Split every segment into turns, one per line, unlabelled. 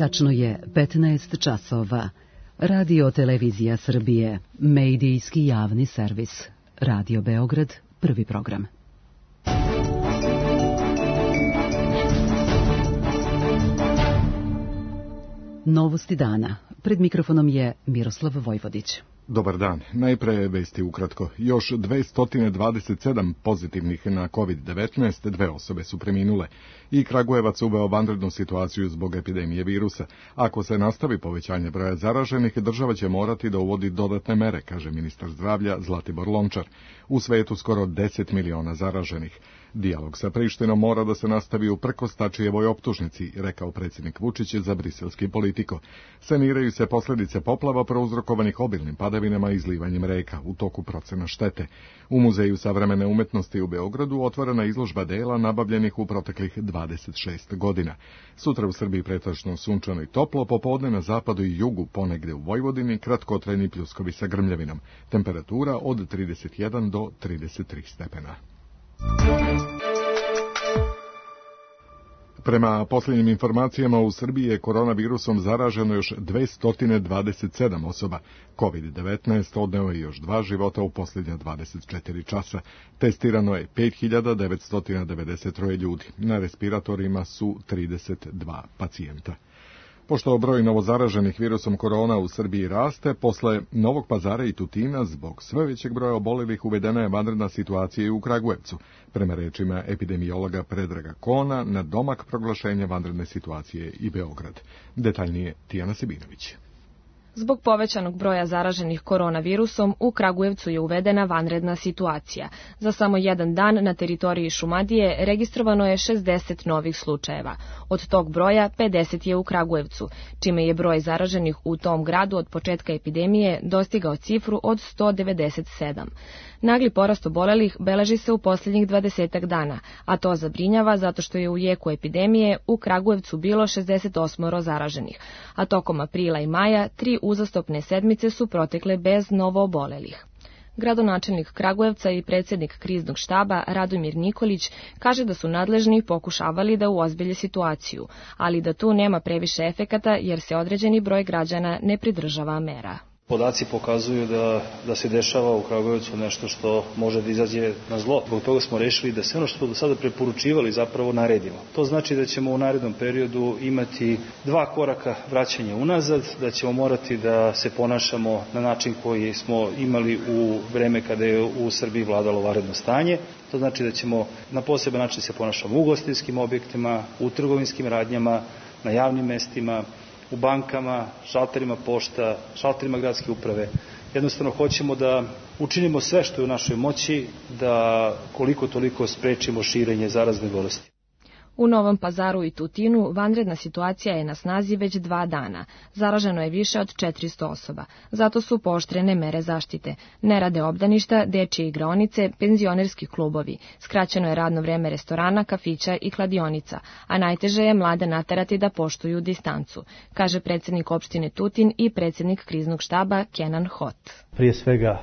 Tačno je 15 časova. Radio Televizija Srbije, medijski javni servis. Radio Beograd, prvi program. Novosti dana. Pred mikrofonom je Miroslav Vojvodić.
Dobar dan. Najpre vesti ukratko. Još 227 pozitivnih na COVID-19, 2 osobe su preminule. I Kragujevac uveo vanrednu situaciju zbog epidemije virusa. Ako se nastavi povećanje broja zaraženih, država će morati da uvodi dodatne mere, kaže ministar zdravlja Zlatibor Lončar. U svetu skoro 10 miliona zaraženih. Dijalog sa Prištinom mora da se nastavi uprkos Tačijevoj optužnici, rekao predsjednik Vučić za briselski Politiko. Saniraju se posljedice poplava prouzrokovanih obilnim padavinama i izlivanjem reka u toku procena štete. U Muzeju savremene umetnosti u Beogradu otvorena izložba dela nabavljenih u proteklih 26 godina. Sutra u Srbiji pretežno sunčano i toplo, popodne na zapadu i jugu, ponegde u Vojvodini, kratkotrajni pljuskovi sa grmljavinom. Temperatura od 31 do 33 stepena. Prema posljednjim informacijama, u Srbiji je koronavirusom zaraženo još 227 osoba. COVID-19 odneo je još 2 života u posljednja 24 časa. Testirano je 5993 ljudi. Na respiratorima su 32 pacijenta. Pošto broj novozaraženih virusom korona u Srbiji raste, posle Novog Pazara i Tutina, zbog sve većeg broja obolelih uvedena je vanredna situacija i u Kragujevcu. Prema rečima epidemiologa Predraga Kona, na domak proglašenja vanredne situacije i Beograd. Detaljnije Tijana Sibinović.
Zbog povećanog broja zaraženih koronavirusom, u Kragujevcu je uvedena vanredna situacija. Za samo jedan dan na teritoriji Šumadije registrovano je 60 novih slučajeva. Od tog broja 50 je u Kragujevcu, čime je broj zaraženih u tom gradu od početka epidemije dostigao cifru od 197. Nagli porast obolelih beleži se u posljednjih 20 dana, a to zabrinjava zato što je u jeku epidemije u Kragujevcu bilo 68 zaraženih, a tokom aprila i maja 3 uzastopne sedmice su protekle bez novoobolelih. Gradonačelnik Kragujevca i predsjednik kriznog štaba Radomir Nikolić kaže da su nadležni pokušavali da uozbilje situaciju, ali da tu nema previše efekata jer se određeni broj građana ne pridržava mera.
Podaci pokazuju da se dešava u Kragujevcu nešto što može da izađe na zlo. Zbog toga smo rešili da sve ono što smo do sada preporučivali zapravo naredimo. To znači da ćemo u narednom periodu imati 2 koraka vraćanja unazad, da ćemo morati da se ponašamo na način koji smo imali u vreme kada je u Srbiji vladalo vanredno stanje. To znači da ćemo na poseban način se ponašamo u ugostiteljskim objektima, u trgovinskim radnjama, na javnim mestima, u bankama, šalterima pošta, šalterima gradske uprave. Jednostavno hoćemo da učinimo sve što je u našoj moći da koliko toliko sprečimo širenje zarazne bolesti.
U Novom Pazaru i Tutinu vanredna situacija je na snazi već 2 dana. Zaraženo je više od 400 osoba. Zato su pooštrene mere zaštite. Ne rade obdaništa, dečje igraonice, penzionerski klubovi. Skraćeno je radno vreme restorana, kafića i kladionica, a najteže je mlade naterati da poštuju distancu, kaže predsjednik opštine Tutin i predsjednik kriznog štaba Kenan Hot.
Prije svega,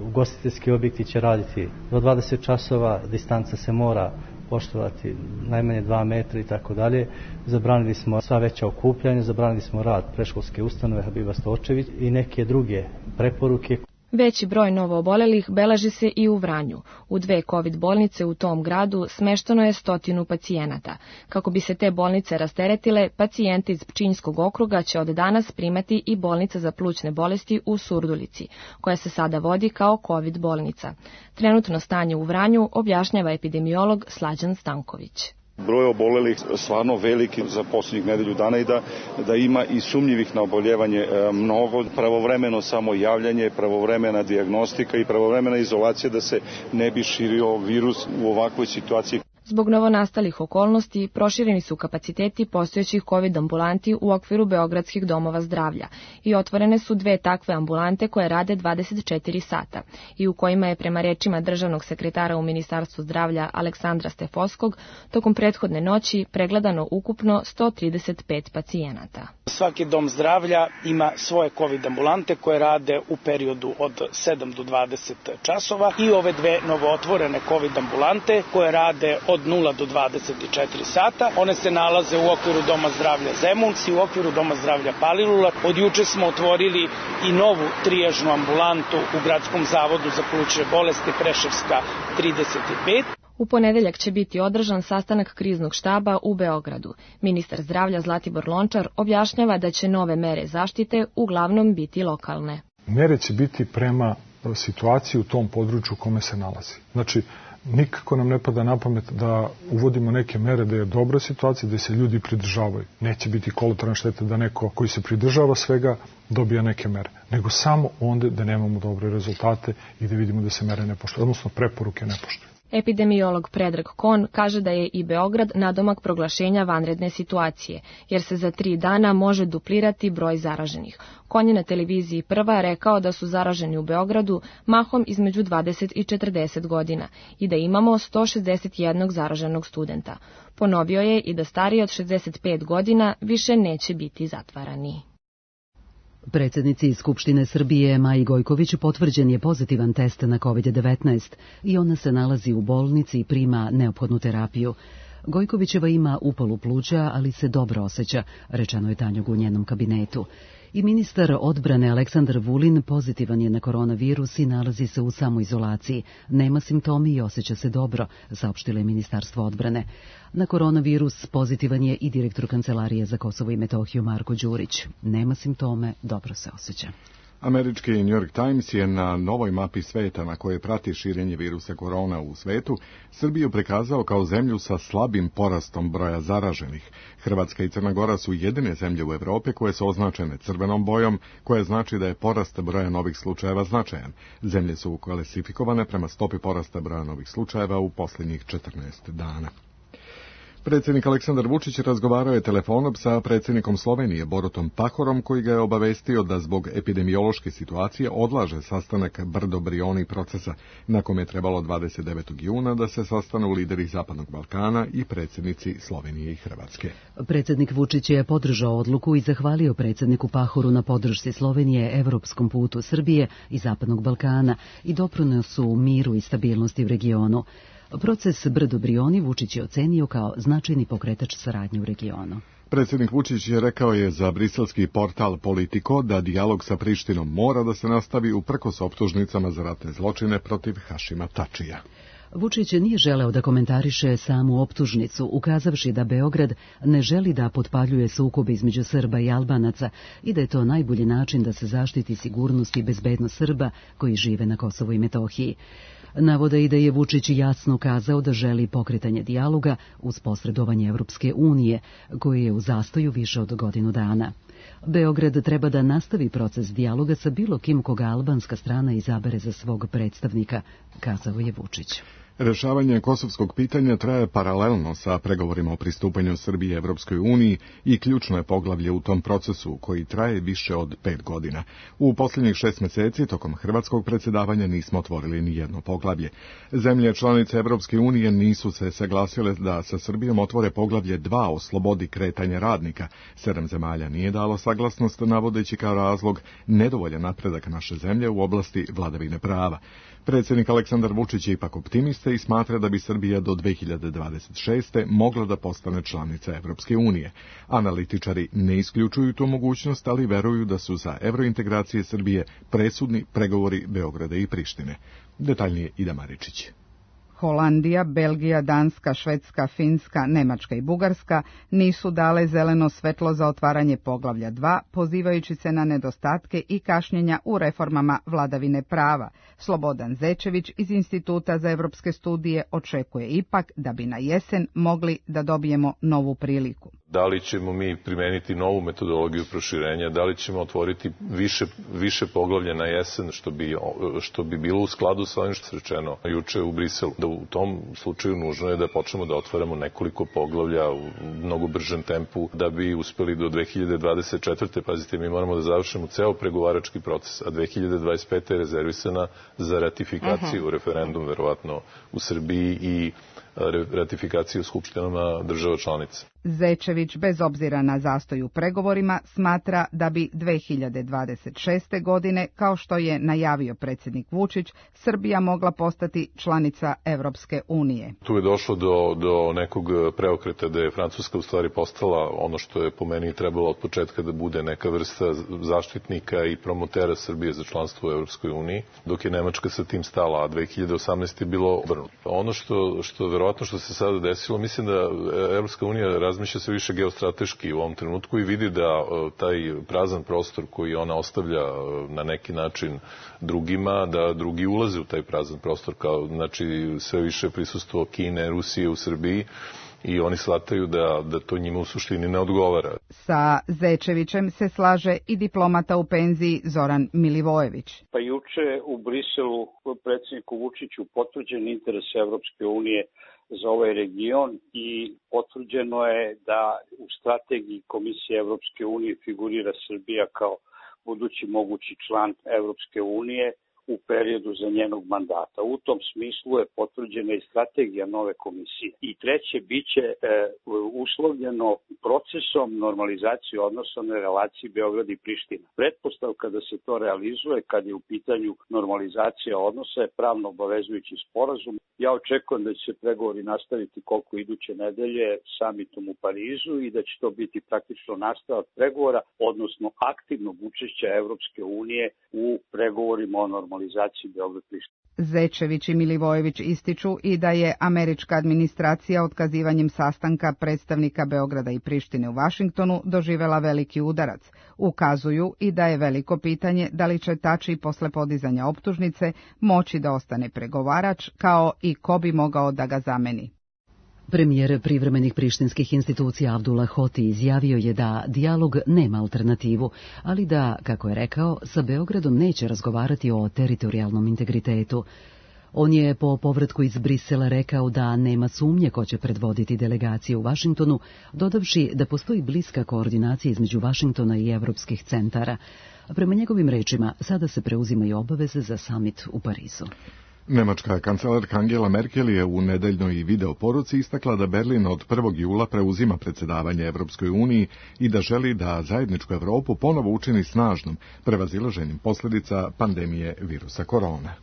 ugostiteljski objekti će raditi do 20 časova, distanca se mora poštovati najmanje 2 metra i tako dalje. Zabranili smo sva veća okupljanja, zabranili smo rad predškolske ustanove Habiba Stočević i neke druge preporuke.
Veći broj novoobolelih beleži se i u Vranju. U 2 COVID bolnice u tom gradu smešteno je 100 pacijenata. Kako bi se te bolnice rasteretile, pacijente iz Pčinjskog okruga će od danas primati i bolnica za plućne bolesti u Surdulici, koja se sada vodi kao COVID bolnica. Trenutno stanje u Vranju objašnjava epidemiolog Slađan Stanković.
Broj obolelih stvarno veliki za posljednjih nedelju dana i da ima i sumnjivih na oboljevanje mnogo, pravovremeno samo javljanje, pravovremena dijagnostika i pravovremena izolacija da se ne bi širio virus u ovakvoj situaciji.
Zbog novonastalih okolnosti prošireni su kapaciteti postojećih COVID ambulanti u okviru beogradskih domova zdravlja i otvorene su 2 takve ambulante koje rade 24 sata i u kojima je prema rečima državnog sekretara u Ministarstvu zdravlja Aleksandra Stefovskog tokom prethodne noći pregledano ukupno 135 pacijenata.
Svaki dom zdravlja ima svoje COVID ambulante koje rade u periodu od 7 do 20 časova i ove 2 novootvorene COVID ambulante koje rade od od 0 do 24 sata. One se nalaze u okviru Doma zdravlja Zemun i u okviru Doma zdravlja Palilula. Od juče smo otvorili i novu trijažnu ambulantu u Gradskom zavodu za plućne bolesti Preševska 35.
U ponedeljak će biti održan sastanak kriznog štaba u Beogradu. Ministar zdravlja Zlatibor Lončar objašnjava da će nove mere zaštite uglavnom biti lokalne.
Mere će biti prema situaciji u tom području u kome se nalazi. Znači, nikako nam ne pada na pamet da uvodimo neke mere da je dobra situacija, da se ljudi pridržavaju. Neće biti kolateralna šteta da neko koji se pridržava svega dobija neke mere, nego samo onda da nemamo dobre rezultate i da vidimo da se mere ne poštuju, odnosno preporuke ne poštuju.
Epidemiolog Predrag Kon kaže da je i Beograd nadomak proglašenja vanredne situacije, jer se za 3 dana može duplirati broj zaraženih. Kon je na televiziji Prva rekao da su zaraženi u Beogradu mahom između 20 i 40 godina i da imamo 161 zaraženog studenta. Ponovio je i da stariji od 65 godina više neće biti zatvarani.
Predsjednici Skupštine Srbije Maji Gojković potvrđen je pozitivan test na COVID-19 i ona se nalazi u bolnici i prima neophodnu terapiju. Gojkovićeva ima upalu pluća, ali se dobro osjeća, rečeno je Tanjugu u njenom kabinetu. I ministar odbrane Aleksandar Vulin pozitivan je na koronavirus i nalazi se u samoizolaciji. Nema simptomi i osjeća se dobro, saopštilo je Ministarstvo odbrane. Na koronavirus pozitivan je i direktor Kancelarije za Kosovo i Metohiju Marko Đurić. Nema simptome, dobro se osjeća.
Američki New York Times je na novoj mapi sveta na kojoj prati širenje virusa korona u svetu Srbiju prikazao kao zemlju sa slabim porastom broja zaraženih. Hrvatska i Crna Gora su jedine zemlje u Evropi koje su označene crvenom bojom, koja znači da je porast broja novih slučajeva značajan. Zemlje su klasifikovane prema stopi porasta broja novih slučajeva u posljednjih 14 dana. Predsjednik Aleksandar Vučić razgovarao je telefonom sa predsjednikom Slovenije Borutom Pahorom, koji ga je obavestio da zbog epidemiološke situacije odlaže sastanak Brdo-Brioni procesa, na kom je trebalo 29. juna da se sastanu lideri Zapadnog Balkana i predsjednici Slovenije i Hrvatske.
Predsjednik Vučić je podržao odluku i zahvalio predsjedniku Pahoru na podršci Slovenije evropskom putu Srbije i Zapadnog Balkana i doprinosu miru i stabilnosti u regionu. Proces Brdo-Brioni Vučić je ocenio kao značajni pokretač saradnje u regionu.
Predsjednik Vučić je rekao je za briselski portal Politico da dijalog sa Prištinom mora da se nastavi uprkos optužnicama za ratne zločine protiv Hašima Tačija.
Vučić nije želeo da komentariše samu optužnicu, ukazavši da Beograd ne želi da potpaljuje sukobe između Srba i Albanaca i da je to najbolji način da se zaštiti sigurnost i bezbednost Srba koji žive na Kosovu i Metohiji. Navode i da je Vučić jasno kazao da želi pokretanje dijaloga uz posredovanje Evropske unije, koji je u zastoju više od godinu dana. Beograd treba da nastavi proces dijaloga sa bilo kim koga albanska strana izabere za svog predstavnika, kazao je Vučić.
Rešavanje kosovskog pitanja traje paralelno sa pregovorima o pristupanju Srbije Evropskoj uniji i ključno je poglavlje u tom procesu koji traje više od 5 godina. U posljednjih 6 mjeseci tokom hrvatskog predsjedavanja nismo otvorili ni jedno poglavlje. Zemlje članice Evropske unije nisu se saglasile da sa Srbijom otvore poglavlje 2 o slobodi kretanja radnika. 7 zemalja nije dalo saglasnost, navodeći kao razlog nedovoljan napredak naše zemlje u oblasti vladavine prava. Predsjednik Aleksandar Vučić je ipak optimista i smatra da bi Srbija do 2026. mogla da postane članica Evropske unije. Analitičari ne isključuju tu mogućnost, ali veruju da su za evrointegracije Srbije presudni pregovori Beograda i Prištine. Detaljnije Ida Maričić.
Holandija, Belgija, Danska, Švedska, Finska, Nemačka i Bugarska nisu dale zeleno svetlo za otvaranje poglavlja 2, pozivajući se na nedostatke i kašnjenja u reformama vladavine prava. Slobodan Zečević iz Instituta za evropske studije očekuje ipak da bi na jesen mogli da dobijemo novu priliku.
Da li ćemo mi primeniti novu metodologiju proširenja, da li ćemo otvoriti više poglavlja na jesen, što bi bilo u skladu sa ovim što se rečeno juče u Briselu. Da u tom slučaju nužno je da počnemo da otvaramo nekoliko poglavlja u mnogo bržem tempu da bi uspeli do 2024. Pazite, mi moramo da završimo ceo pregovarački proces, a 2025. je rezervisana za ratifikaciju referendum, verovatno u Srbiji i ratifikacije u skupštinama država članica.
Zečević, bez obzira na zastoj u pregovorima, smatra da bi 2026. godine, kao što je najavio predsjednik Vučić, Srbija mogla postati članica Evropske unije.
Tu je došlo do nekog preokreta da je Francuska u stvari postala ono što je po meni trebalo od početka da bude neka vrsta zaštitnika i promotera Srbije za članstvo u Evropskoj uniji, dok je Nemačka sa tim stala, a 2018. je bilo obrnuto. Ono što verovatno što se sada desilo, mislim da Evropska unija razmišlja se više geostrateški u ovom trenutku i vidi da taj prazan prostor koji ona ostavlja na neki način drugima, da drugi ulaze u taj prazan prostor, kao znači sve više prisustvo Kine, Rusije u Srbiji, i oni shvataju da to njima u suštini ne odgovara.
Sa Zečevićem se slaže i diplomata u penziji Zoran Milivojević.
Pa juče u Briselu predsjedniku Vučiću potvrđen interes Evropske unije za ovaj region i potvrđeno je da u strategiji Komisije Evropske unije figurira Srbija kao budući mogući član Evropske unije u periodu za njenog mandata. U tom smislu je potvrđena i strategija nove komisije. I treće, biće uslovljeno procesom normalizacije odnosa na relaciji Beograd i Priština. Pretpostavka da se to realizuje kad je u pitanju normalizacija odnosa je pravno obavezujući sporazum. Ja očekujem da će se pregovori nastaviti koliko iduće nedelje samitom u Parizu i da će to biti praktično nastavak pregovora, odnosno aktivnog učešća Evropske unije u pregovorima o normalizaciji Beograd-Priština.
Zečević i Milivojević ističu i da je američka administracija otkazivanjem sastanka predstavnika Beograda i Prištine u Vašingtonu doživela veliki udarac. Ukazuju i da je veliko pitanje da li će Tači posle podizanja optužnice moći da ostane pregovarač, kao i ko bi mogao da ga zameni.
Premijer privremenih prištinskih institucija Abdullah Hoti izjavio je da dijalog nema alternativu, ali da, kako je rekao, sa Beogradom neće razgovarati o teritorijalnom integritetu. On je po povratku iz Brisela rekao da nema sumnje ko će predvoditi delegaciju u Vašingtonu, dodavši da postoji bliska koordinacija između Vašingtona i evropskih centara. Prema njegovim rečima, sada se preuzimaju obaveze za samit u Parizu.
Nemačka kancelarka Angela Merkel je u nedeljnoj video poruci istakla da Berlin od 1. jula preuzima predsjedavanje Evropskoj uniji i da želi da zajedničku Evropu ponovo učini snažnom, prevazilaženjem posljedica pandemije virusa korona.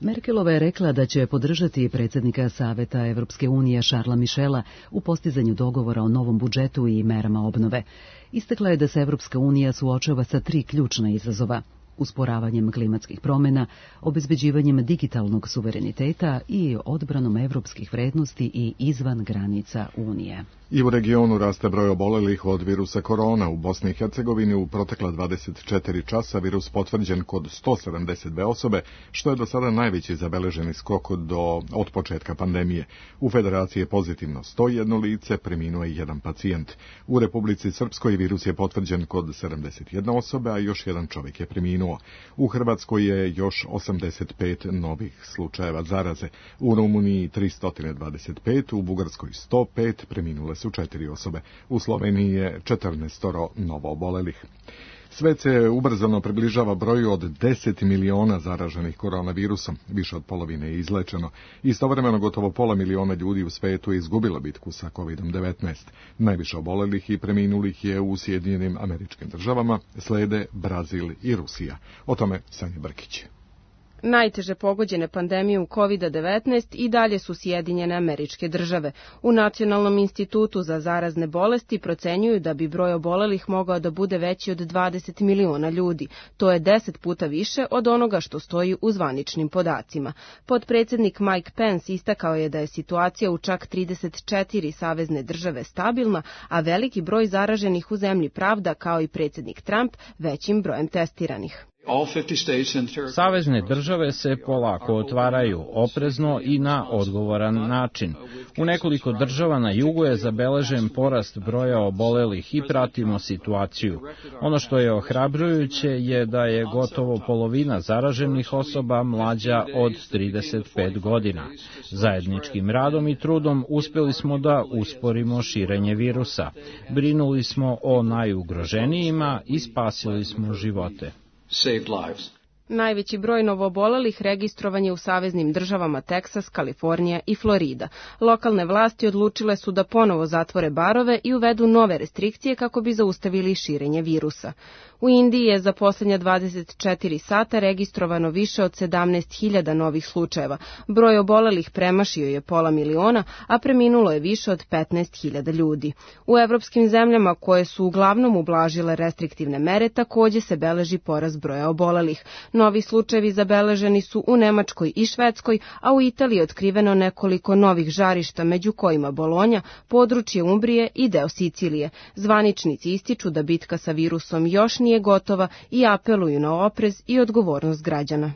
Merkelova je rekla da će podržati predsjednika Saveta Evropske unije Charlesa Michela u postizanju dogovora o novom budžetu i merama obnove. Istakla je da se Evropska unija suočava sa 3 ključna izazova: usporavanjem klimatskih promjena, obezbeđivanjem digitalnog suvereniteta i odbranom evropskih vrednosti i izvan granica Unije.
I u regionu raste broj obolelih od virusa korona. U Bosni i Hercegovini u protekla 24 časa virus potvrđen kod 172 osobe, što je do sada najveći zabeleženi skok od početka pandemije. U Federaciji je pozitivno 101 lice, preminuo je 1 pacijent. U Republici Srpskoj virus je potvrđen kod 71 osobe, a još 1 čovjek je preminuo. U Hrvatskoj je još 85 novih slučajeva zaraze. U Rumuniji 325, u Bugarskoj 105, preminule su 4 osobe. U Sloveniji je 14 novo obolelih. Svet se ubrzano približava broju od 10 miliona zaraženih koronavirusom, više od polovine je izlečeno. Istovremeno gotovo pola miliona ljudi u svetu je izgubilo bitku sa COVID-19. Najviše obolelih i preminulih je u Sjedinjenim Američkim Državama, slede Brazil i Rusija. O tome Sanja Brkić.
Najteže pogođene pandemijom COVID-19 i dalje su Sjedinjene Američke Države. U Nacionalnom institutu za zarazne bolesti procenjuju da bi broj obolelih mogao da bude veći od 20 miliona ljudi. To je 10 puta više od onoga što stoji u zvaničnim podacima. Potpredsjednik Mike Pence istakao je da je situacija u čak 34 savezne države stabilna, a veliki broj zaraženih u zemlji pravda, kao i predsjednik Trump, većim brojem testiranih.
Savezne države se polako otvaraju, oprezno i na odgovoran način. U nekoliko država na jugu je zabeležen porast broja obolelih i pratimo situaciju. Ono što je ohrabrujuće je da je gotovo polovina zaraženih osoba mlađa od 35 godina. Zajedničkim radom i trudom uspjeli smo da usporimo širenje virusa. Brinuli smo o najugroženijima i spasili smo živote.
Najveći broj novoobolelih registrovan je u saveznim državama Teksas, Kalifornija i Florida. Lokalne vlasti odlučile su da ponovo zatvore barove i uvedu nove restrikcije kako bi zaustavili širenje virusa. U Indiji je za posljednja 24 sata registrovano više od 17.000 novih slučajeva. Broj obolelih premašio je 500.000, a preminulo je više od 15.000 ljudi. U evropskim zemljama koje su uglavnom ublažile restriktivne mere takođe se beleži porast broja obolelih. Novi slučajevi zabeleženi su u Nemačkoj i Švedskoj, a u Italiji je otkriveno nekoliko novih žarišta, među kojima Bolonja, područje Umbrije i deo Sicilije. Zvaničnici ističu da bitka sa virusom još nije gotova i apeluju na oprez i odgovornost građana.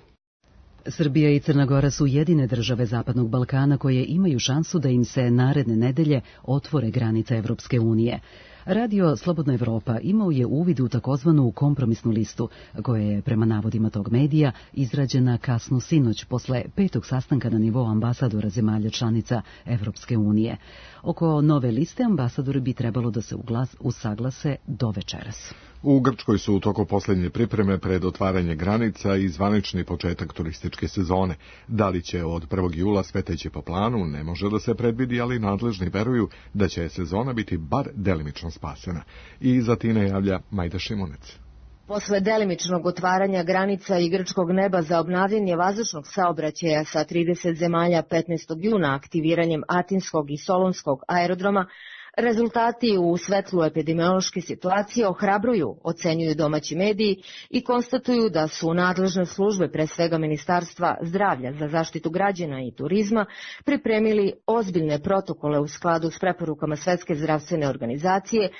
Srbija i Crna Gora su jedine države Zapadnog Balkana koje imaju šansu da im se naredne nedelje otvore granice Evropske unije. Radio Slobodna Evropa imao je uvid u takozvanu kompromisnu listu, koja je, prema navodima tog medija, izrađena kasno sinoć posle 5. sastanka na nivou ambasadora zemalja članica Evropske unije. Oko nove liste ambasadori bi trebalo da se usaglase do večeras.
U Grčkoj su u toku posljednje pripreme pred otvaranje granica i zvanični početak turističke sezone. Da li će od 1. jula sve teći po planu, ne može da se predvidi, ali nadležni veruju da će sezona biti bar delimično spasena. I za time javlja Majda Šimunec.
Posle delimičnog otvaranja granica i grčkog neba za obnavljanje vazdušnog saobraćaja sa 30 zemalja 15. juna aktiviranjem Atinskog i Solunskog aerodroma, rezultati u svetlu epidemiološke situacije ohrabruju, ocenjuju domaći mediji i konstatuju da su nadležne službe, pre svega Ministarstva zdravlja za zaštitu građana i turizma, pripremili ozbiljne protokole u skladu s preporukama Svetske zdravstvene organizacije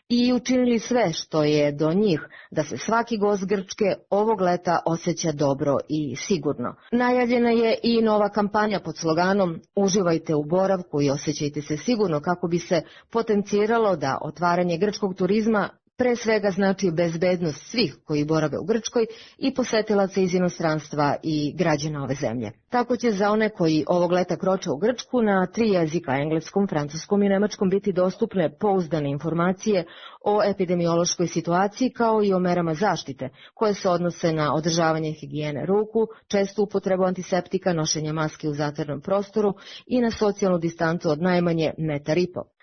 i učinili sve što je do njih da se svaki gost Grčke ovog leta osjeća dobro i sigurno. Najavljena je i nova kampanja pod sloganom "Uživajte u boravku i osjećajte se sigurno", kako bi se potenciralo da otvaranje grčkog turizma pre svega znači bezbednost svih koji borave u Grčkoj i posetilaca iz inostranstva i građana ove zemlje. Tako će za one koji ovog leta kroče u Grčku na 3 jezika, engleskom, francuskom i nemačkom, biti dostupne pouzdane informacije o epidemiološkoj situaciji kao i o merama zaštite, koje se odnose na održavanje higijene ruku, čestu upotrebu antiseptika, nošenje maske u zatvorenom prostoru i na socijalnu distancu od najmanje 1,5 metra.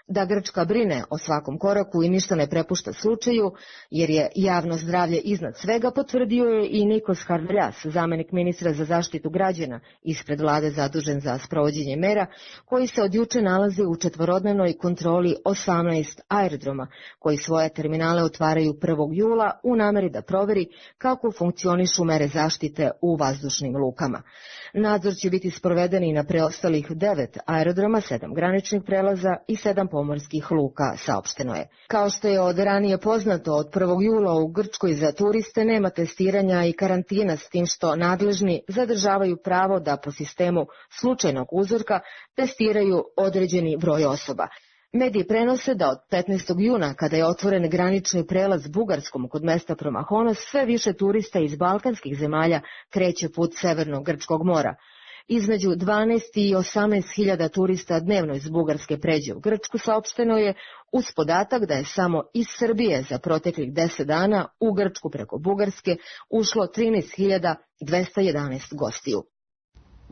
Da Grčka brine o svakom koraku i ništa ne prepušta slučaju, jer je javno zdravlje iznad svega, potvrdio je i Nikos Harveljas, zamenik ministra za zaštitu građana ispred vlade zadužen za sprovođenje mera, koji se od juče nalazi u četvorodnevnoj kontroli 18 aerodroma, koji svoje terminale otvaraju 1. jula u nameri da proveri kako funkcionišu mere zaštite u vazdušnim lukama. Nadzor će biti sproveden i na preostalih 9 aerodroma, 7 graničnih prelaza i 7 pomorskih luka, saopšteno je. Kao što je od ranije poznato, od 1. jula u Grčkoj za turiste nema testiranja i karantina, s tim što nadležni zadržavaju pravo da po sistemu slučajnog uzorka testiraju određeni broj osoba. Mediji prenose da od 15. juna, kada je otvoren granični prelaz Bugarskom kod mesta Promahonos, sve više turista iz balkanskih zemalja kreće put Severnog Grčkog mora. Između 12 i 18.000 turista dnevno iz Bugarske pređe u Grčku, saopšteno je, uz podatak da je samo iz Srbije za proteklih 10 dana u Grčku preko Bugarske ušlo 13.211 gostiju.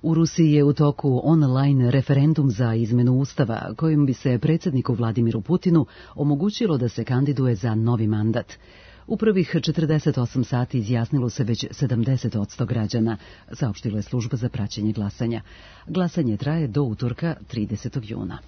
U Rusiji je u toku online referendum za izmenu Ustava, kojim bi se predsjedniku Vladimiru Putinu omogućilo da se kandiduje za novi mandat. U prvih 48 sati izjasnilo se već 70% građana, saopštila je služba za praćenje glasanja. Glasanje traje do utorka 30. juna.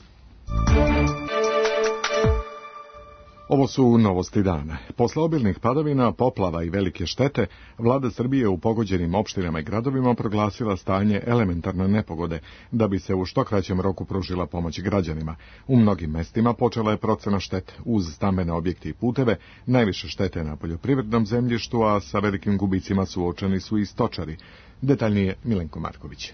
Ovo su novosti dana. Posle obilnih padavina, poplava i velike štete, vlada Srbije u pogođenim opštinama i gradovima proglasila stanje elementarne nepogode, da bi se u što kraćem roku pružila pomoć građanima. U mnogim mestima počela je procena štete. Uz stambene objekte i puteve, najviše štete na poljoprivrednom zemljištu, a sa velikim gubicima suočeni su i stočari. Detaljnije Milenko Marković.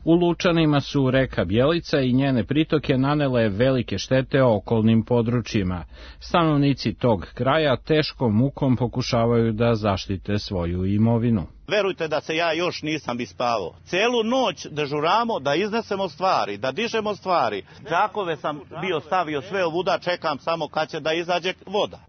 U Lučanima su reka Bjelica i njene pritoke nanele velike štete okolnim područjima. Stanovnici tog kraja teškom mukom pokušavaju da zaštite svoju imovinu.
Verujte da se ja još nisam ispavao. Celu noć dežuramo da iznesemo stvari, da dižemo stvari. Džakove sam bio stavio sve ovuda, čekam samo kad će da izađe voda.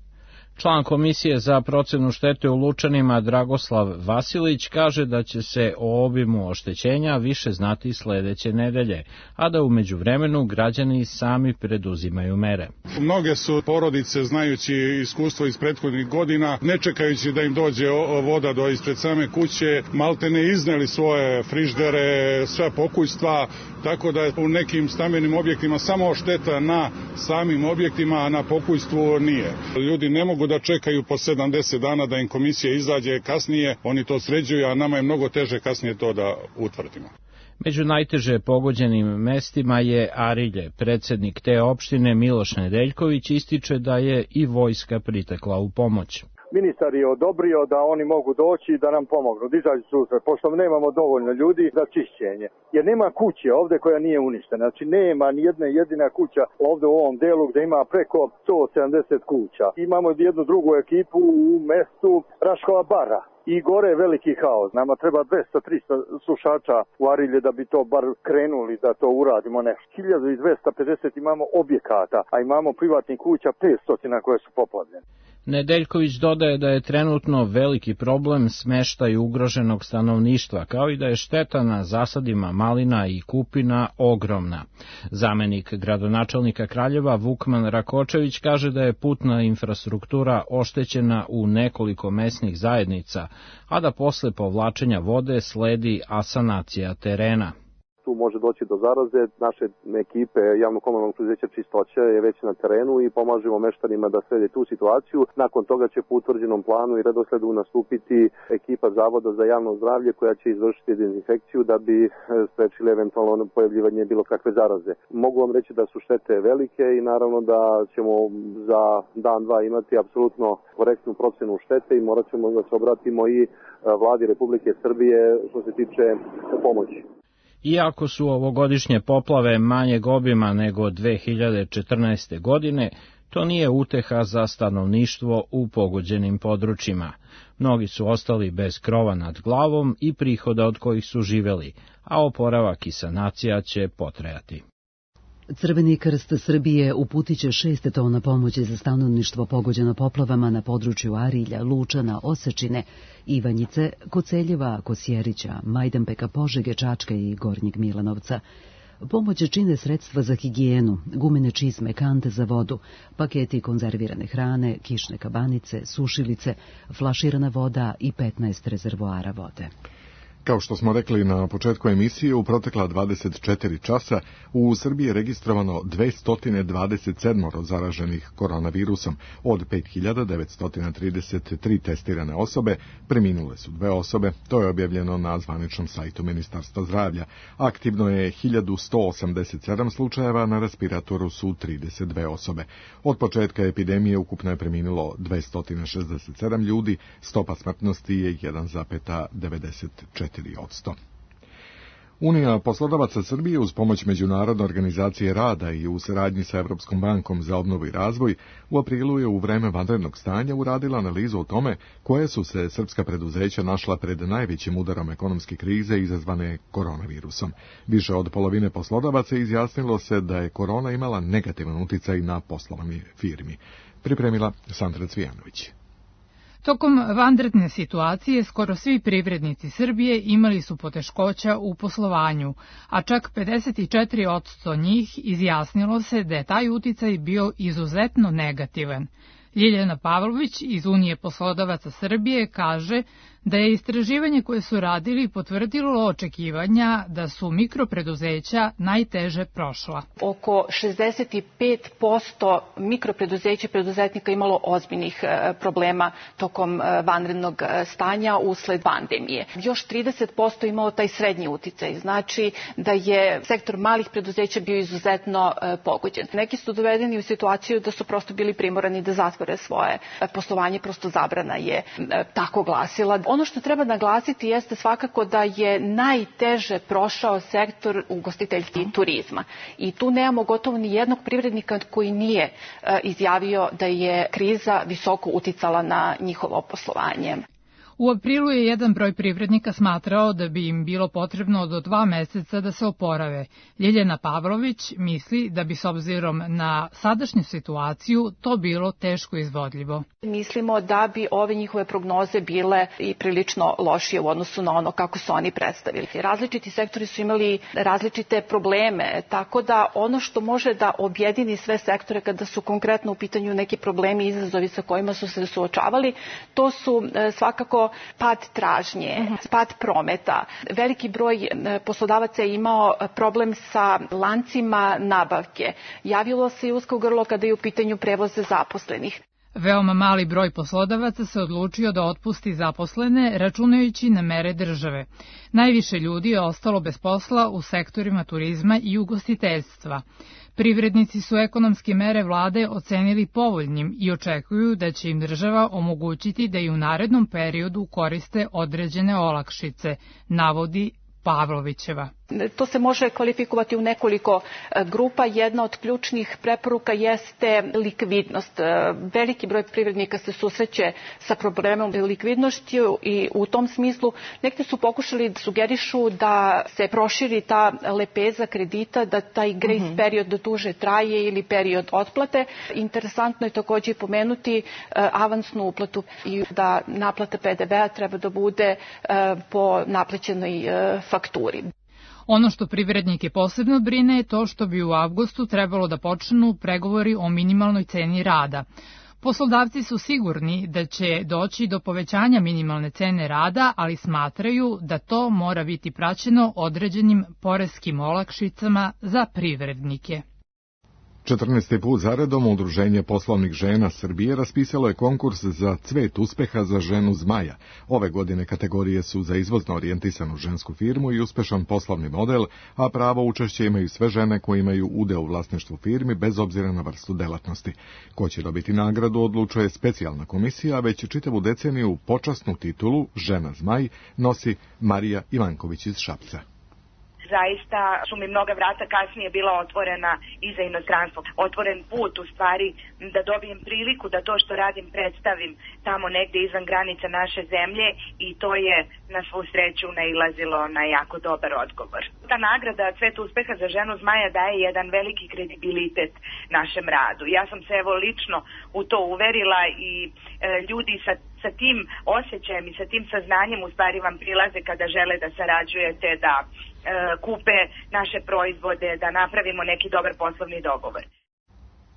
Član Komisije za procenu štete u Lučanima Dragoslav Vasilić kaže da će se o obimu oštećenja više znati sledeće nedelje, a da u međuvremenu građani sami preduzimaju mere.
Mnoge su porodice, znajući iskustvo iz prethodnih godina, ne čekajući da im dođe voda do ispred same kuće, maltene izneli svoje friždere, sve pokućstva, tako da je u nekim stambenim objektima samo šteta na samim objektima, a na pokućstvu nije. Ljudi ne mogu da čekaju po 70 dana da im komisija izađe kasnije, oni to sređuju, a nama je mnogo teže kasnije to da utvrdimo.
Među najteže pogođenim mestima je Arilje. Predsednik te opštine Miloš Nedeljković ističe da je i vojska pritekla u pomoć.
Ministar je odobrio da oni mogu doći i da nam pomognu, da izađu susret, pošto nemamo dovoljno ljudi za čišćenje. Jer nema kuće ovde koja nije uništena, znači nema ni jedna jedina kuća ovde u ovom delu gde ima preko 170 kuća. Imamo jednu drugu ekipu u mestu Raškova bara. I gore je veliki haos. Nama treba 200-300 sušača u Arilje da bi to bar krenuli da to uradimo nešto. 1250 imamo objekata, a imamo privatnih kuća 500 koje su poplavljene.
Nedeljković dodaje da je trenutno veliki problem smeštaj ugroženog stanovništva, kao i da je šteta na zasadima malina i kupina ogromna. Zamenik gradonačelnika Kraljeva Vukman Rakočević kaže da je putna infrastruktura oštećena u nekoliko mesnih zajednica, a da posle povlačenja vode sledi asanacija terena.
Tu može doći do zaraze. Naše ekipe javno-komunalnog preduzeća Čistoća je već na terenu i pomažemo meštanima da srede tu situaciju. Nakon toga će po utvrđenom planu i redosledu nastupiti ekipa Zavoda za javno zdravlje koja će izvršiti dezinfekciju da bi sprečili eventualno pojavljivanje bilo kakve zaraze. Mogu vam reći da su štete velike i naravno da ćemo za dan, dva imati apsolutno korektnu procenu štete i morat ćemo da se obratimo i vladi Republike Srbije što se tiče pomoći.
Iako su ovogodišnje poplave manjeg obima nego 2014. godine, to nije uteha za stanovništvo u pogođenim područjima. Mnogi su ostali bez krova nad glavom i prihoda od kojih su živeli, a oporavak i sanacija će potrajati.
Crveni krst Srbije uputit će 6 tona pomoći za stanovništvo pogođeno poplavama na području Arilja, Lučana, Osečine, Ivanjice, Koceljeva, Kosjerića, Majdanpeka, Požege, Čačka i Gornjeg Milanovca. Pomoć čine sredstva za higijenu, gumene čizme, kante za vodu, paketi konzervirane hrane, kišne kabanice, sušilice, flaširana voda i 15 rezervoara vode.
Kao što smo rekli na početku emisije, u protekla 24 časa u Srbiji je registrovano 227 zaraženih koronavirusom. Od 5933 testirane osobe preminule su 2 osobe, to je objavljeno na zvaničnom sajtu Ministarstva zdravlja. Aktivno je 1187 slučajeva, na respiratoru su 32 osobe. Od početka epidemije ukupno je preminulo 267 ljudi, stopa smrtnosti je 1,94%. Unija poslodavaca Srbije uz pomoć Međunarodne organizacije rada i u saradnji sa Evropskom bankom za obnovu i razvoj u aprilu je u vreme vanrednog stanja uradila analizu o tome koje su se srpska preduzeća našla pred najvećim udarom ekonomske krize izazvane koronavirusom. Više od polovine poslodavaca izjasnilo se da je korona imala negativan uticaj na poslovanje firmi. Pripremila Sandra Cvijanović.
Tokom vanredne situacije skoro svi privrednici Srbije imali su poteškoća u poslovanju, a čak 54% njih izjasnilo se da je taj uticaj bio izuzetno negativan. Ljiljana Pavlović iz Unije poslodavaca Srbije kaže da je istraživanje koje su radili potvrdilo očekivanja da su mikropreduzeća najteže prošla.
Oko 65% mikropreduzeća i preduzetnika imalo ozbiljnih problema tokom vanrednog stanja usled pandemije. Još 30% imalo taj srednji uticaj, znači da je sektor malih preduzeća bio izuzetno pogođen. Neki su dovedeni u situaciju da su prosto bili primorani da zatvore svoje poslovanje, prosto zabrana je tako glasila. Ono što treba naglasiti jeste svakako da je najteže prošao sektor ugostiteljstva i turizma. I tu nemamo gotovo ni jednog privrednika koji nije izjavio da je kriza visoko uticala na njihovo poslovanje.
U aprilu je jedan broj privrednika smatrao da bi im bilo potrebno do 2 meseca da se oporave. Ljiljana Pavlović misli da bi s obzirom na sadašnju situaciju to bilo teško izvodljivo.
Mislimo da bi ove njihove prognoze bile i prilično lošije u odnosu na ono kako su oni predstavili. Različiti sektori su imali različite probleme, tako da ono što može da objedini sve sektore kada su konkretno u pitanju neki problemi i izazovi sa kojima su se suočavali, to su svakako pad tražnje, pad prometa. Veliki broj poslodavaca je imao problem sa lancima nabavke. Javilo se i usko grlo kada je u pitanju prevoz zaposlenih.
Veoma mali broj poslodavaca se odlučio da otpusti zaposlene, računajući na mere države. Najviše ljudi je ostalo bez posla u sektorima turizma i ugostiteljstva. Privrednici su ekonomske mere vlade ocenili povoljnim i očekuju da će im država omogućiti da i u narednom periodu koriste određene olakšice, navodi Pavlovićeva.
To se može kvalifikovati u nekoliko grupa. Jedna od ključnih preporuka jeste likvidnost. Veliki broj privrednika se susreće sa problemom likvidnosti i u tom smislu neki su pokušali da sugerišu da se proširi ta lepeza kredita, da taj grace period duže traje ili period otplate. Interesantno je također pomenuti avansnu uplatu i da naplata PDV-a treba da bude po naplaćenoj fakturi.
Ono što privrednike posebno brine je to što bi u avgustu trebalo da počnu pregovori o minimalnoj ceni rada. Poslodavci su sigurni da će doći do povećanja minimalne cene rada, ali smatraju da to mora biti praćeno određenim poreskim olakšicama za privrednike.
14. put zaredom Udruženje poslovnih žena Srbije raspisalo je konkurs za cvet uspeha za ženu zmaja. Ove godine kategorije su za izvozno orijentisanu žensku firmu i uspešan poslovni model, a pravo učešće imaju sve žene koje imaju udeo u vlasništvu firmi bez obzira na vrstu delatnosti. Ko će dobiti nagradu odlučuje specijalna komisija, već čitavu deceniju počasnu titulu Žena zmaj nosi Marija Ivanković iz Šapca.
Zaista su mi mnoga vrata kasnije bila otvorena i za inostranstvo. Otvoren put u stvari da dobijem priliku da to što radim predstavim tamo negde izvan granica naše zemlje i to je na svu sreću nailazilo na jako dobar odgovor. Ta nagrada Cvet uspeha za ženu zmaja daje jedan veliki kredibilitet našem radu. Ja sam se evo lično u to uverila i ljudi sa tim osjećajem i sa tim saznanjem u stvari vam prilaze kada žele da sarađujete, da kupe naše proizvode, da napravimo neki dobar poslovni dogovor.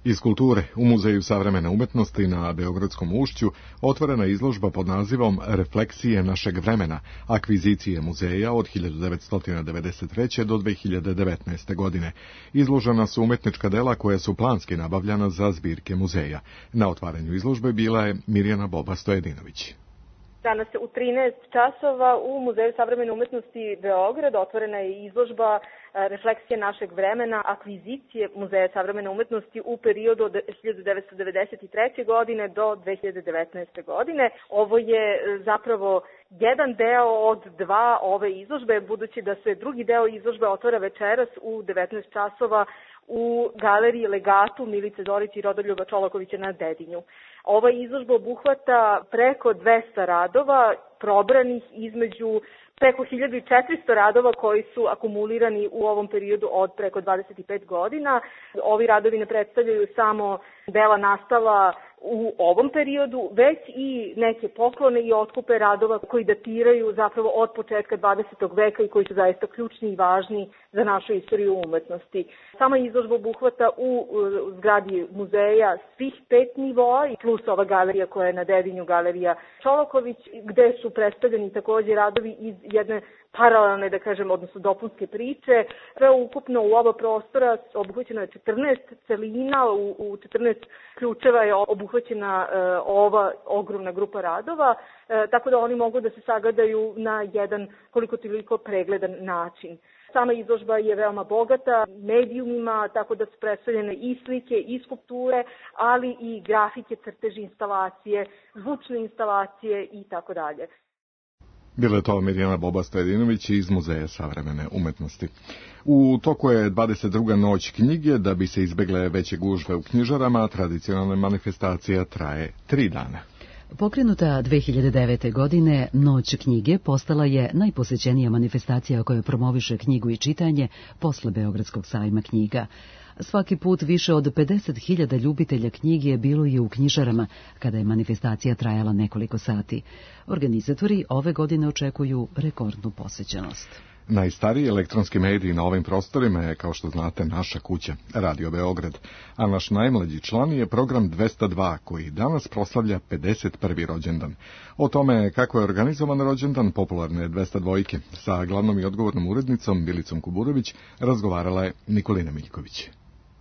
Iz kulture, u Muzeju savremene umetnosti na Beogradskom ušću otvorena izložba pod nazivom Refleksije našeg vremena, akvizicije muzeja od 1993. do 2019. godine. Izložena su umetnička dela koja su planski nabavljana za zbirke muzeja. Na otvaranju izložbe bila je Mirjana Boba-Stojedinović.
Danas u 13 časova u Muzeju savremene umetnosti Beograd otvorena je izložba Refleksije našeg vremena, akvizicije Muzeja savremene umetnosti u periodu od 1993. godine do 2019. godine. Ovo je zapravo jedan deo od dva ove izložbe, budući da se drugi deo izložbe otvara večeras u 19 časova u galeriji Legatu Milice Dorić i Rodoljuba Čolakovića na Dedinju. Ova izložba obuhvata preko 200 radova probranih između preko 1400 radova koji su akumulirani u ovom periodu od preko 25 godina. Ovi radovi ne predstavljaju samo dela nastala u ovom periodu, već i neke poklone i otkupe radova koji datiraju zapravo od početka 20. veka i koji su zaista ključni i važni za našu istoriju umetnosti. Sama izložba obuhvata u zgradi muzeja svih 5 nivoa i plus ova galerija koja je na Dedinju, galerija Čolaković, gde su predstavljeni takođe radovi iz jedne paralelne, da kažem, odnosno dopunske priče. Sve ukupno u oba prostora obuhvaćeno je 14 celina, u 14 ključeva je obuhvaćena ova ogromna grupa radova, tako da oni mogu da se sagledaju na jedan koliko toliko pregledan način. Sama izložba je veoma bogata medijumima, tako da su predstavljene i slike, i skulpture, ali i grafike, crteži, instalacije, zvučne instalacije i tako dalje.
Bila je to Mirjana Boba-Stojedinović iz Muzeja savremene umetnosti. U toku je 22. noć knjige, da bi se izbegle veće gužve u knjižarama, tradicionalna manifestacija traje 3 dana.
Pokrenuta 2009. godine, Noć knjige postala je najposećenija manifestacija koja promoviše knjigu i čitanje posle Beogradskog sajma knjiga. Svaki put više od 50.000 ljubitelja knjige je bilo i u knjižarama, kada je manifestacija trajala nekoliko sati. Organizatori ove godine očekuju rekordnu posećenost.
Najstariji elektronski medij na ovim prostorima je, kao što znate, Naša kuća, Radio Beograd, a naš najmlađi član je program 202, koji danas proslavlja 51. rođendan. O tome kako je organizovan rođendan popularne 202 sa glavnom i odgovornom urednicom Bilicom Kuburović razgovarala je Nikolina Miljković.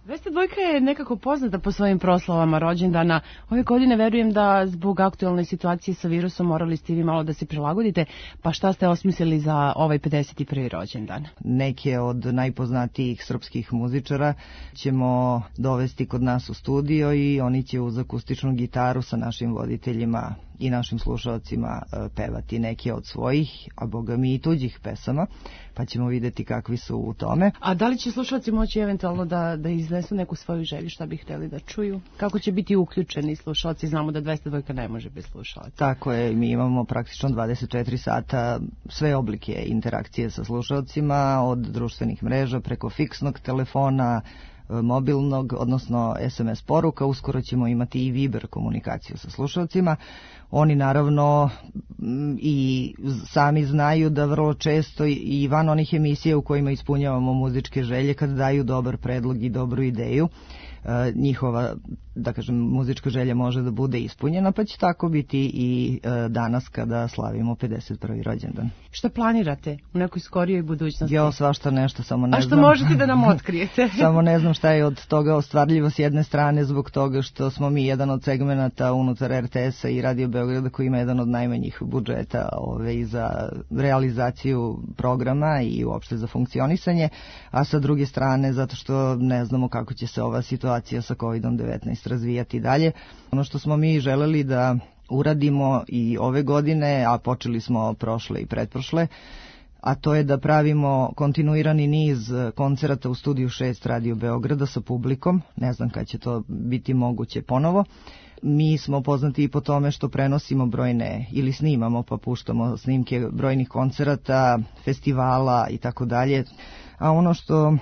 202 je nekako poznata po svojim proslavama rođendana. Ove godine verujem da zbog aktualne situacije sa virusom morali ste vi malo da se prilagodite, pa šta ste osmislili za ovaj 51. rođendan?
Neke od najpoznatijih srpskih muzičara ćemo dovesti kod nas u studio i oni će uz akustičnu gitaru sa našim voditeljima i našim slušalcima pevati neke od svojih, a boga mi i tuđih pesama, pa ćemo videti kakvi su u tome.
A da li će slušalci moći eventualno da iznesu neku svoju želju, šta bi hteli da čuju? Kako će biti uključeni slušalci? Znamo da 202 ne može bez slušalaca.
Tako je, mi imamo praktično 24 sata sve oblike interakcije sa slušalcima, od društvenih mreža preko fiksnog telefona, mobilnog, odnosno SMS poruka. Uskoro ćemo imati i Viber komunikaciju sa slušalcima. Oni naravno i sami znaju da vrlo često i van onih emisija u kojima ispunjavamo muzičke želje, kad daju dobar predlog i dobru ideju, njihova, da kažem, muzička želja može da bude ispunjena, pa će tako biti i danas kada slavimo 51. rođendan.
Šta planirate u nekoj skorijoj budućnosti?
Jo, svašta nešto, samo ne znam.
A što možete da nam otkrijete?
Samo ne znam šta je od toga ostvarljivo s jedne strane, zbog toga što smo mi jedan od segmenata unutar RTS-a i Radio Beograda koji ima jedan od najmanjih budžeta za realizaciju programa i uopšte za funkcionisanje, a sa druge strane zato što ne znamo kako će se ova situacija sa COVID-19 razvijati dalje. Ono što smo mi želeli da uradimo i ove godine, a počeli smo prošle i pretprošle, a to je da pravimo kontinuirani niz koncerata u Studiju 6 Radio Beograda sa publikom. Ne znam kad će to biti moguće ponovo. Mi smo poznati i po tome što prenosimo brojne, ili snimamo pa puštamo snimke brojnih koncerata, festivala i tako dalje. A ono što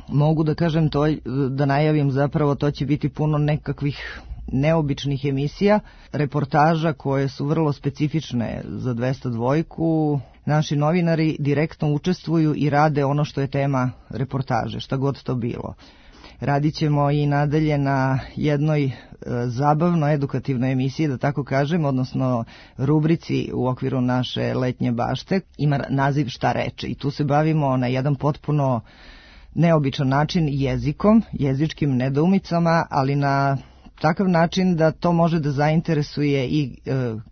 mogu da kažem, to da najavim zapravo, to će biti puno nekakvih neobičnih emisija, reportaža koje su vrlo specifične za 202. Naši novinari direktno učestvuju i rade ono što je tema reportaže, šta god to bilo. Radit ćemo i nadalje na jednoj zabavno edukativnoj emisiji, da tako kažem, odnosno rubrici u okviru naše letnje bašte. Ima naziv Šta reče i tu se bavimo na jedan potpuno neobičan način jezikom, jezičkim nedoumicama, ali na takav način da to može da zainteresuje i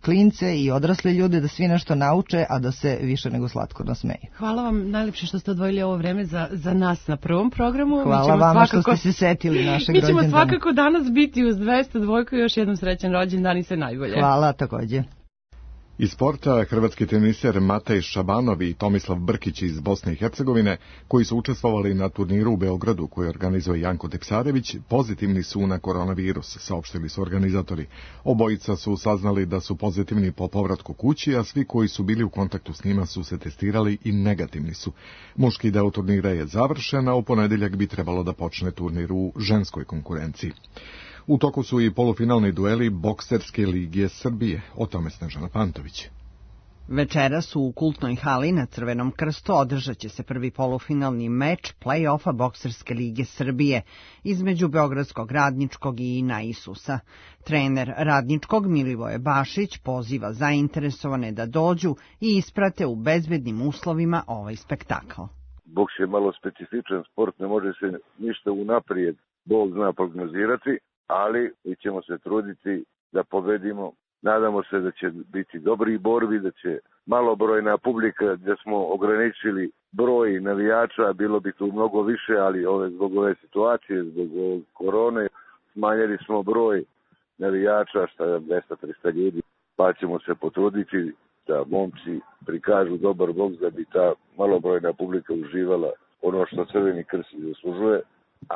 klince i odrasle ljude, da svi nešto nauče, a da se više nego slatko nasmeju.
Hvala vam najlepše što ste odvojili ovo vreme za nas na prvom programu.
Hvala vama što ste se setili našeg rođendana.
Mi ćemo svakako danas biti uz 202 i još jednom srećan rođendan i sve najbolje.
Hvala takođe.
Iz sporta hrvatski teniser Matej Šabanov i Tomislav Brkić iz Bosne i Hercegovine, koji su učestvovali na turniru u Beogradu koji organizuje Janko Tepsarević, pozitivni su na koronavirus, saopštili su organizatori. Obojica su saznali da su pozitivni po povratku kući, a svi koji su bili u kontaktu s njima su se testirali i negativni su. Muški deo turnira je završen, a u ponedeljak bi trebalo da počne turnir u ženskoj konkurenciji. U toku su i polufinalni dueli Bokserske lige Srbije, o tome Snežana Pantović.
Večeras u kultnoj hali na Crvenom krstu održat će se prvi polufinalni meč play-offa Bokserske lige Srbije između Beogradskog Radničkog i Ina Isusa. Trener Radničkog Milivoje Bašić poziva zainteresovane da dođu i isprate u bezbednim uslovima ovaj spektakl.
Boks je malo specifičan sport, ne može se ništa unaprijed, Bog zna, prognozirati, ali mi ćemo se truditi da pobedimo. Nadamo se da će biti dobri borbi, da će malobrojna publika, da smo ograničili broj navijača, bilo bi tu mnogo više, ali zbog ove situacije, zbog korone, smanjili smo broj navijača, 200-300 ljudi, pa ćemo se potruditi da momci prikažu dobar boks, da bi ta malobrojna publika uživala ono što Crveni krst zaslužuje,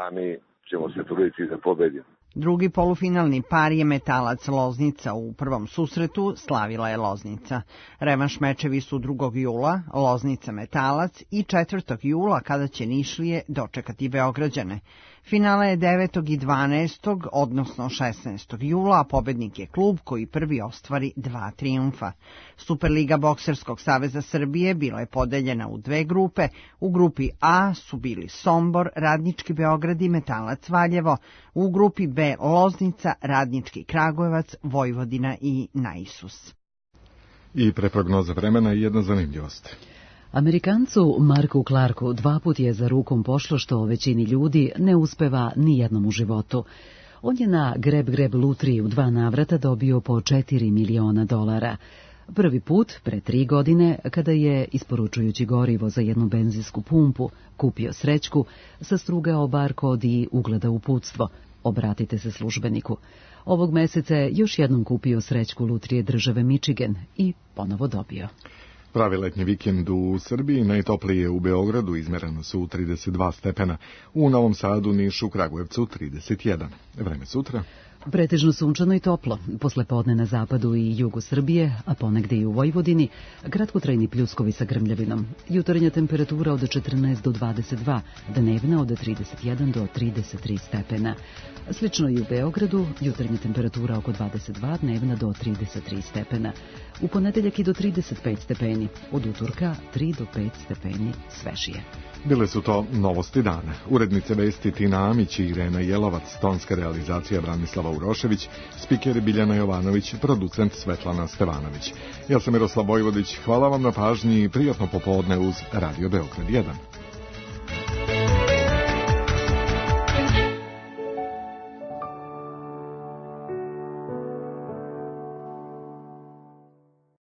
a mi ćemo se truditi da pobedimo.
Drugi polufinalni par je Metalac Loznica. U prvom susretu slavila je Loznica. Revanš mečevi su 2. jula, Loznica Metalac, i 4. jula kada će Nišlije dočekati Beograđane. Finale je 9. i 12. odnosno 16. jula, a pobednik je klub koji prvi ostvari 2 trijumfa. Superliga Bokserskog saveza Srbije bila je podeljena u 2 grupe. U grupi A su bili Sombor, Radnički Beograd i Metalac Valjevo. U grupi B Loznica, Radnički Kragujevac, Vojvodina i Naisus.
I pre prognoze vremena jedna zanimljivost.
Amerikancu Marku Clarku 2 put je za rukom pošlo što većini ljudi ne uspeva ni jednom u životu. On je na greb lutriji u 2 navrata dobio po $4 miliona. Prvi put, pre 3 godine, kada je, isporučujući gorivo za jednu benzinsku pumpu, kupio srećku, sastrugao bar kod i ugleda uputstvo. Obratite se službeniku. Ovog meseca je još jednom kupio srećku lutrije države Michigan i ponovo dobio.
Pravi letnji vikend u Srbiji, najtoplije u Beogradu izmereno su 32 stepena, u Novom Sadu, Nišu, Kragujevcu 31. Vreme sutra.
Pretežno sunčano i toplo, poslepodne na zapadu i jugu Srbije, a ponegde i u Vojvodini, kratkotrajni pljuskovi sa grmljavinom. Jutarnja temperatura od 14 do 22, dnevna od 31 do 33 stepena. Slično i u Beogradu, jutarnja temperatura oko 22, dnevna do 33 stepena. U ponedeljak i do 35 stepeni, od utorka 3 do 5 stepeni svežije.
Bile su to novosti dana. Urednice vesti Tina Amić i Irena Jelovac, tonska realizacija Branislava Urošević, spiker Biljana Jovanović, producent Svetlana Stevanović. Ja sam Miroslav Vojvodić, hvala vam na pažnji i prijatno popodne uz Radio Beograd 1.